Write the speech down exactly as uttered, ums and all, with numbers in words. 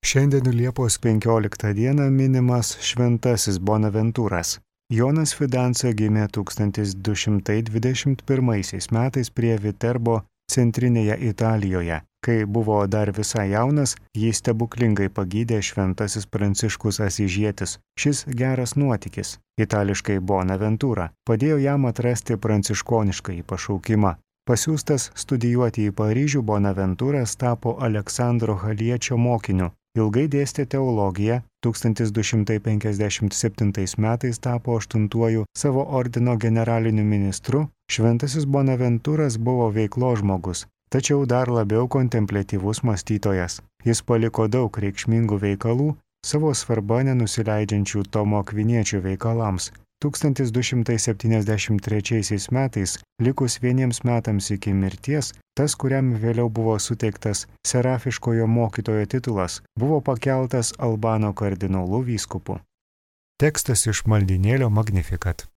Šiandien Liepos penkioliktą dieną minimas Šventasis Bonaventūras. Jonas Fidanza gimė tūkstantis du šimtai dvidešimt pirmaisiais metais prie Viterbo centrinėje Italijoje. Kai buvo dar visai jaunas, jį stebuklingai pagydė Šventasis Pranciškus Asyžietis. Šis geras nuotykis, itališkai Bonaventūra, padėjo jam atrasti pranciškoniškąjį pašaukimą. Pasiųstas studijuoti į Paryžių, Bonaventūras tapo Aleksandro Haliečio mokiniu. Ilgai dėstė teologiją, tūkstantis du šimtai penkiasdešimt septintais metais tapo aštuntuoju savo ordino generaliniu ministru. Šventasis Bonaventūras buvo veiklos žmogus, tačiau dar labiau kontempliatyvus mąstytojas. Jis paliko daug reikšmingų veikalų, savo svarbą nenusileidžiančių Tomo Akviniečio veikalams. tūkstantis du šimtai septyniasdešimt trečiaisiais metais, likus vieniems metams iki mirties, tas, kuriam vėliau buvo suteiktas serafiškojo mokytojo titulas, buvo pakeltas Albano kardinolu vyskupu. Tekstas iš maldynėlio Magnificat.